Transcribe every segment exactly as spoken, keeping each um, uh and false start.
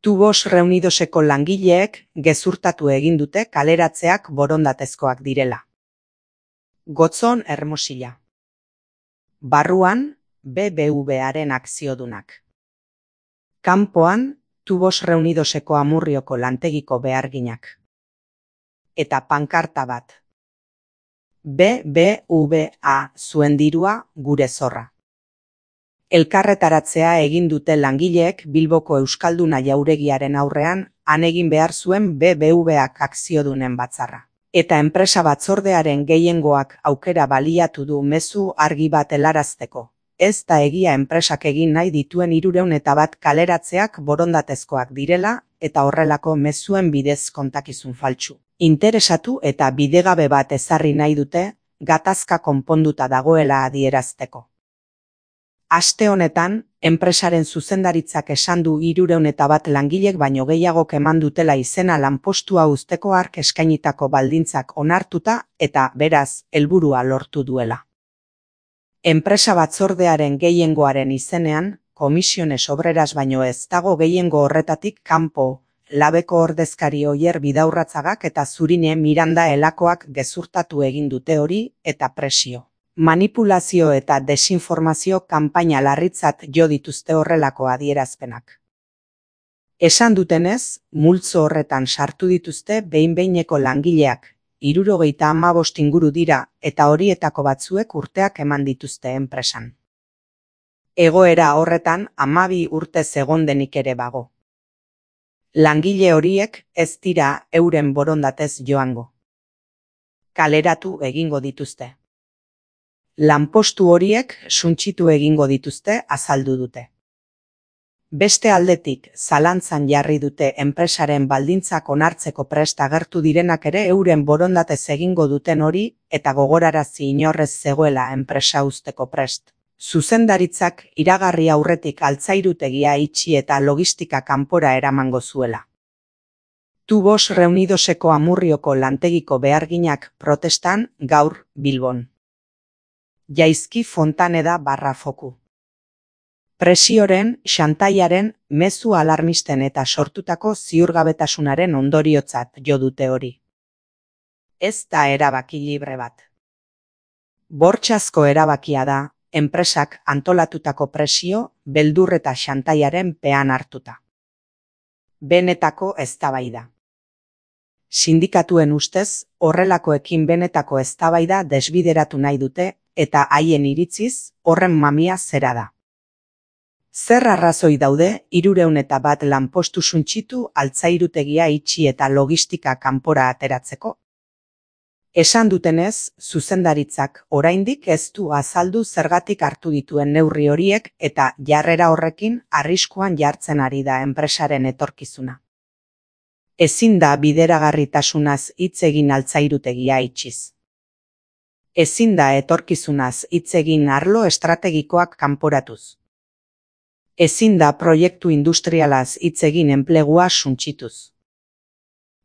Tubos Reunidoseko langileek gezurtatu egin dute kaleratzeak borondatezkoak direla. Gotzon Hermosilla. Barruan, B B V-aren akziodunak. Kanpoan, Tubos Reunidoseko Amurrioko lantegiko beharginak. Eta pankarta bat. B B V A zuen dirua gure zorra. Elkarretaratzea egin dute langileek Bilboko Euskalduna jauregiaren aurrean han egin behar zuen B B V-ak akziodunen batzarra. Eta enpresa batzordearen gehiengoak aukera baliatu du mezu argi bat helarazteko. Ez da egia enpresak egin nahi dituen hirurehun eta bat kaleratzeak borondatezkoak direla eta horrelako mezuen bidez kontakizun faltsu. Interesatu eta bidegabe bat ezarri nahi dute gatazka konponduta dagoela adierazteko. Aste honetan, enpresaren zuzendaritzak esan du hirurehun eta bat langilek baino gehiagok eman dutela izena lanpostua uzteko hark eskainitako baldintzak onartuta eta beraz helburua lortu duela. Enpresa batzordearen gehiengoaren izenean, Komisiones Obreras baino ez dago gehiengo horretatik kanpo, labeko ordezkari Oier Bidaurratzagak eta Zurine Miranda Elakoak gezurtatu egin dute hori eta presio. Manipulazio eta desinformazio kanpaina larritzat jo dituzte horrelako adierazpenak. Esan dutenez, multzo horretan sartu dituzte behin-behineko langileak, hirurogeita hamabost inguru dira eta horietako batzuek urteak eman dituzte enpresan. Egoera horretan hamabi urtez egon denik ere bago. Langile horiek ez dira euren borondatez joango. Kaleratu egingo dituzte. Lanpostu horiek suntsitu egingo dituzte azaldu dute. Beste aldetik, zalantzan jarri dute enpresaren baldintzak onartzeko prest agertu direnak ere euren borondatez egingo duten hori eta gogorarazi inorrez zegoela enpresa uzteko prest. Zuzendaritzak iragarri aurretik altzairutegia itxi eta logistika kanpora eramango zuela. Tubos Reunidoseko Amurrioko lantegiko beharginak protestan gaur Bilbon. Jaizki Fontaneda barra foku. Presioren, xantaiaren, mezu alarmisten eta sortutako ziurgabetasunaren ondoriotzat jo dute hori. Ez da erabaki libre bat. Bortxazko erabakia da, enpresak antolatutako presio, beldur eta xantaiaren pean hartuta. Benetako eztabaida. Sindikatuen ustez, horrelakoekin benetako eztabaida desbideratu nahi dute, eta haien iritziz, horren mamia zera da. Zer arrazoi daude, hirurehun eta bat lanpostu suntsitu altzairutegia itxi eta logistika kanpora ateratzeko? Esan dutenez, zuzendaritzak oraindik ez du azaldu zergatik hartu dituen neurri horiek eta jarrera horrekin arriskuan jartzen ari da enpresaren etorkizuna. Ezin da bideragarritasunaz hitz egin altzairutegia itxiz. Ezin da etorkizunaz hitz egin arlo estrategikoak kanporatuz. Ezin da proiektu industrialaz hitz egin enplegua suntsituz.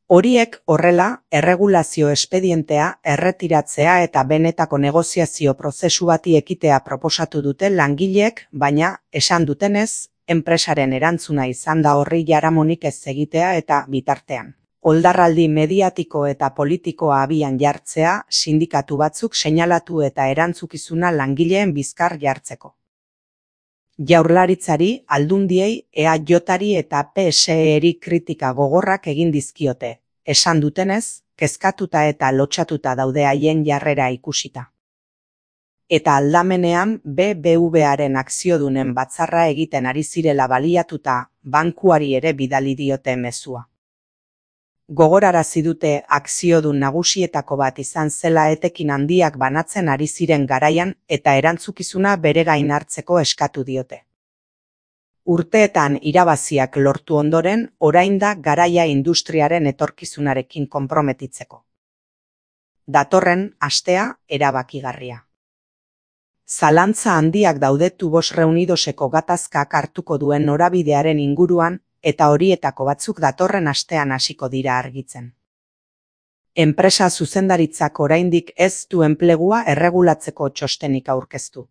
Horiek horrela, erregulazio espedientea erretiratzea eta benetako negoziazio prozesu bati ekitea proposatu dute langileek, baina, esan dutenez, enpresaren erantzuna izan da horri jaramonik ez egitea eta bitartean. Oldarraldi mediatiko eta politikoa abian jartzea, sindikatu batzuk seinalatu eta erantzukizuna langileen bizkar jartzeko. Jaurlaritzari, Aldundiei, E A Jari eta P S E-ri kritika gogorrak egin dizkiote, esan dutenez, kezkatuta eta lotxatuta daude haien jarrera ikusita. Eta aldamenean B B V-aren akziodunen batzarra egiten ari zirela baliatuta, bankuari ere bidali diote mezua. Gogorarazi dute akziodun nagusietako bat izan zela etekin handiak banatzen ari ziren garaian eta erantzukizuna bere gain hartzeko eskatu diote. Urteetan irabaziak lortu ondoren, orain da garaia industriaren etorkizunarekin konprometitzeko. Datorren astea erabakigarria. Zalantza handiak daude Tubos Reunidoseko gatazkak hartuko duen norabidearen inguruan, eta horietako batzuk datorren astean hasiko dira argitzen. Enpresa zuzendaritzak oraindik ez du enplegua erregulatzeko txostenik aurkeztu.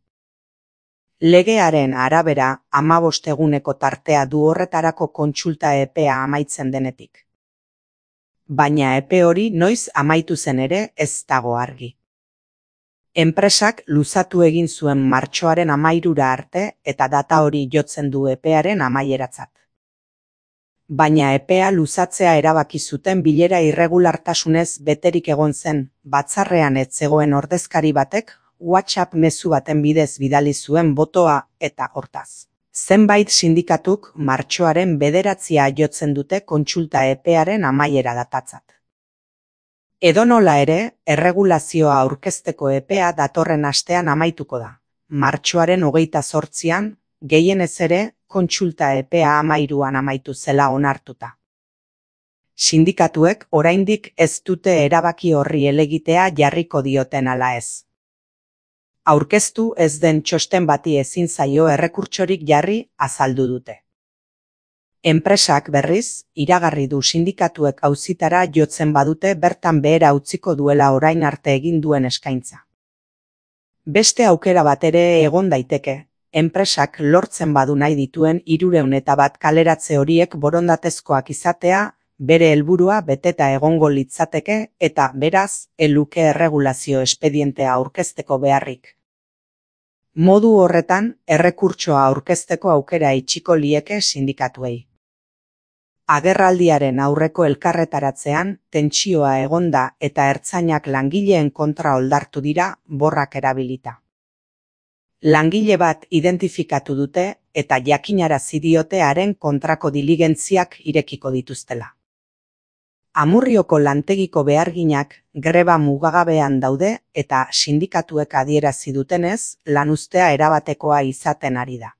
Legearen arabera, hamabost eguneko tartea du horretarako kontsulta epea amaitzen denetik. Baina epe hori noiz amaitu zen ere ez dago argi. Enpresak luzatu egin zuen martxoaren hamairura arte eta data hori jotzen du epearen amaieratzat. Baina epea luzatzea erabaki zuten bilera irregulartasunez beterik egon zen, batzarrean ez zegoen ordezkari batek WhatsApp mezu baten bidez bidali zuen botoa eta hortaz. Zenbait sindikatuk martxoaren bederatzia jotzen dute kontsulta epearen amaiera datatzat. Edonola ere, erregulazioa aurkezteko epea datorren astean amaituko da. Martxoaren hogeita zortzian, gehienez ere, kontsulta epea hamairuan amaitu zela onartuta. Sindikatuek oraindik ez dute erabaki horri helegitea jarriko dioten ala ez. Aurkeztu ez den txosten bati ezin zaio errekurtsorik jarri azaldu dute. Enpresak berriz, iragarri du sindikatuek auzitara jotzen badute bertan behera utziko duela orain arte egin duen eskaintza. Beste aukera bat ere egon daiteke, enpresak lortzen badu nahi dituen hirurehun eta bat kaleratze horiek borondatezkoak izatea, bere helburua beteta egongo litzateke eta beraz, ez luke erregulazio espedientea aurkezteko beharrik. Modu horretan, errekurtsoa aurkezteko aukera itxiko lieke sindikatuei. Agerraldiaren aurreko elkarretaratzean, tentsioa egonda eta ertzainak langileen kontra oldartu dira borrak erabilita. Langile bat identifikatu dute eta jakinarazi diote haren kontrako diligentziak irekiko dituztela. Amurrioko lantegiko beharginak greba mugagabean daude eta sindikatuek adierazi dutenez, lanuztea erabatekoa izaten ari da.